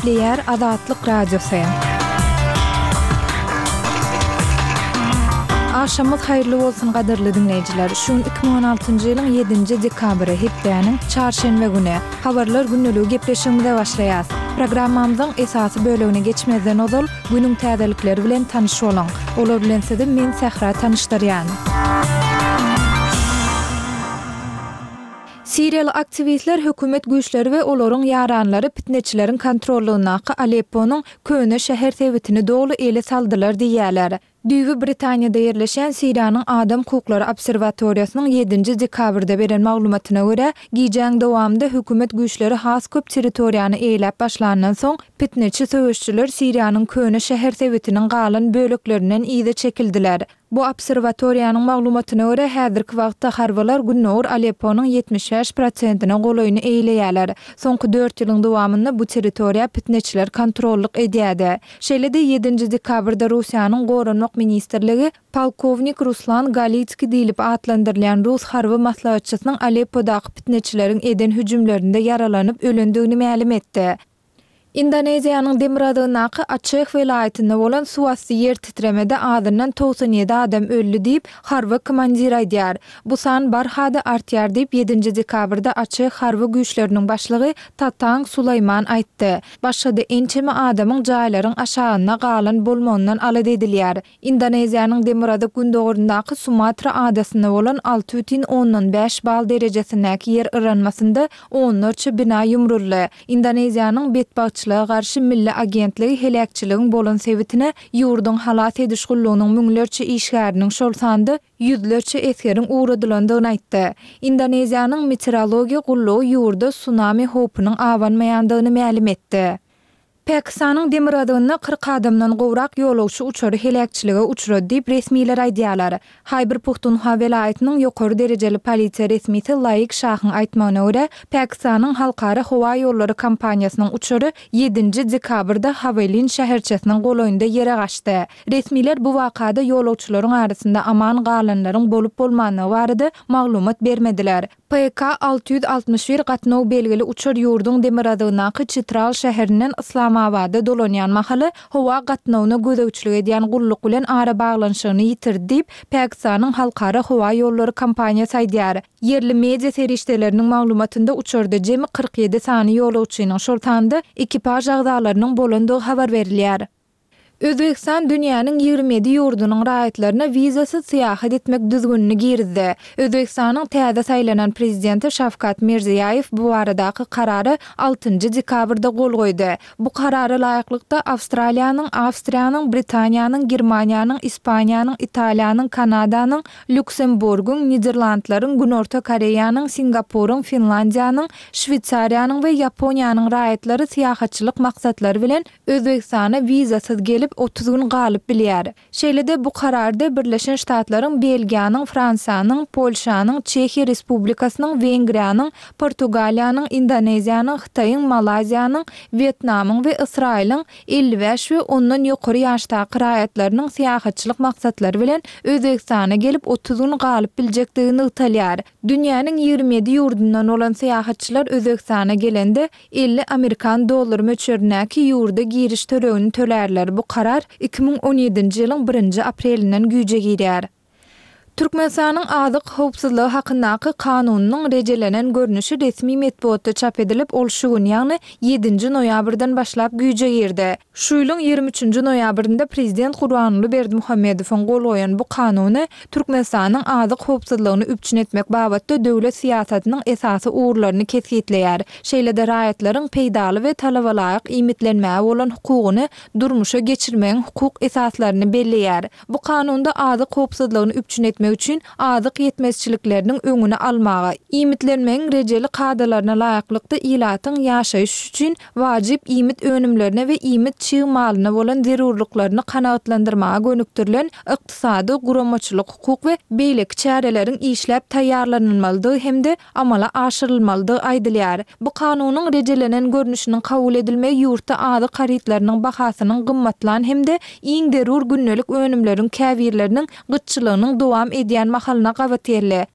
Gepleýär Azatlyk Radiosy. Agşamyňyz haýyrly bolsun gadyrly diňleýjiler. Şu gün 2016-njy ýylyň ýedinji dekabry, hepdäniň çarşenbe güni. Habarlar gündeligi gepleşigimize başlaýas. Programmamyzyň esasy bölegine geçmezden ozal, günüň täzelikleri bilen tanyş boluň. Olar bilen sizi men Sähra tanyşdyrýan. Siriýaly aktiwistler hökümet güýçleri we olaryň ýaranlary pitneçileriň kontrollygyndaky Alepponyň köne şäher sebitini doly ele saldylar diýýärler. Düýbi Britaniýada ýerleşýän Siriýanyň Adam hukuklary obserwatoriýasynyň ýedinji dekabrda beren maglumatyna görä, gijäň dowamynda hökümet güýçleri has köp territoriýany eýeläp başlandan soň, pitneçi söweşijiler Siriýanyň köne şäher sebitiniň galan böleklerinden yza çekildiler. Bu obserwatoriýanyň maglumatyna görä, häzirki wagtda harbylar gündogar Alepponyň 75 prosentine golaýyny eýeleýärler. Soňky dört ýylyň dowamynda bu territoriýa pitneçiler kontrollyk edýärdi. Şeýle-de ýedinji dekabrda Russiýanyň Goranmak ministrligi polkownik Ruslan Galitskiý diýlip atlandyrylýan rus harby maslahatçysynyň Aleppodaky pitneçileriň eden hüjümlerinde ýaralanyp ölendigini mälim etdi. Indoneziýanyň demirgazygyndaky Açeh welaýatynda bolan suwasty ýer titremede azyndan 97 adam öldi diýip, harby komandir aýdýar. Bu san barha-da artýar diýip, ýedinji dekabrda Açeh harby güýçleriniň başlygy Tatang Sulaýman aýtdy. Başga-da ençeme adamyň jaýlaryň aşagynda galan bolmagyndan alada edilýär. Indoneziýanyň demirgazyk-gündogaryndaky Sumatra adasynda bolan 6,5 bal derejesindäki ýer yranmasynda onlarça bina ýumruldy. Indoneziýanyň Betbagtçylyga garşy milli agentligi heläkçiligiň bolan sebitine ýurduň halas ediş gullugynyň müňlerçe işgäriniň, şol sanda ýüzlerçe esgeriň ugradylandygyny aýtdy. Indoneziýanyň Meteorologiýa gullugy ýurda sunami howpunyň abanmaýandygyny mälim etdi. Pakistanyň demirgazygynda 40 adamdan gowrak ýolagçy uçary heläkçilige uçrady diýip, resmiler aýdýarlar. Haýbir-Puhtunhwa welaýatynyň ýokary derejeli polisiýa resmisi Laik Şahyň aýtmagyna görä, Pakistanyň Halkara howa ýollary kompaniýasynyň uçary ýedinji dekabrda Hawelin şäherçesiniň golaýynda ýere gaçdy. Resmiler bu wakada ýolagçylaryň arasynda aman galanlaryň bolup-bolmandygy barada maglumat bermediler. PK 661 gatnaw belgili uçar ýurduň demirgazygyndaky Çitral şäherinden Yslamabada dolanýan mahaly howa gatnawyna gözegçilik edýän gulluk bilen arabaglanyşygyny ýitirdi diýip, Pakistanyň Halkara howa ýollary kompaniýasy aýdýar. Ýerli media serişdeleriniň maglumatynda uçarda jemi 47 sany ýolagçynyň, şol sanda ekipaž agzalarynyň bolandygy habar berilýär. Özbegistan dünýäniň 27 ýurdunyň raýatlaryna wizasyz syýahat etmek düzgünini girizdi. Özbegistanyň täze saýlanan prezidenti Şawkat Mirziýaýew bu baradaky karara altynjy dekabrda gol goýdy. Bu karara laýyklykda, Awstraliýanyň, Awstriýanyň, Britaniýanyň, Germaniýanyň, Ispaniýanyň, Italiýanyň, Kanadanyň, Lýuksemburgyň, Niderlandlaryň, Günorta Koreýanyň, Singapuryň, Finlandiýanyň, Şweýsariýanyň we Ýaponiýanyň raýatlary syýahatçylyk maksatlary bilen Özbegistana wizasyz gelip, 30 gün galyp bilýär. Şeýle-de bu kararda Birleşen Ştatlaryň, Belgiýanyň, Fransiýanyň, Polşanyň, Çehiýa Respublikasynyň, Wengriýanyň, Portugaliýanyň, Indoneziýanyň, Hytaýyň, Malaýziýanyň, Wýetnamyň we Ysraýylyň 55 we ondan ýokary ýaşdaky raýatlarynyň syýahatçylyk maksatlary bilen Özbegistana gelip, 30 gün galyp biljekdigi nygtalýar. Dünýäniň 27 ýurdundan bolan syýahatçylar Özbegistana gelende, 50 amerikan dollary möçberindäki ýurda giriş tölegini tölärler. Bu karar 2017-nji ýylyň birinji aprelinden güýje girýär. Türkmenistanyň Azyk howpsuzlygy hakyndaky Kanunynyň rejelenen görnüşi resmi metbugatda çap edilip, ol şu gün, ýagny ýedinji noýabrdan başlap güýje girdi. Şu ýylyň 23-nji noýabrynda prezident Gurbanguly Berdimuhamedowyň gol goýan bu Kanuny Türkmenistanyň azyk howpsuzlygyny üpjün etmek babatda döwlet syýasatynyň esasy ugurlaryny kesgitleýär. Şeýle-de raýatlaryň peýdaly we talabalaýyk iýmitlenmäge bolan hukugyny durmuşa geçirmegiň hukuk esaslaryny belleýär. Bu Kanunda azyk howpsuzlygyny üpjün etmek üçin azyk ýetmezçilikleriniň öňüni almaga, iýmitlenmegiň rejeli kadalaryna laýyklykda ilatyň ýaşaýyş üçin wajyp iýmit önümlerine we iýmit çig malyna bolan zerurlyklaryny kanagatlandyrmaga gönükdirilen ykdysady, guramaçylyk-hukuk we beýleki çäreleriň işläp taýýarlanylmalydygy hem-de amala aşyrylmalydygy aýdylýar. Bu Kanunyň rejelenen görnüşiniň kabul edilmegi ýurtda azyk harytlarynyň bahasynyň gymmatlan hem-de iň zerur gündelik önümleriň käbirleriniň gytçylygynyň dowam edýän mahalyna gabat geldi.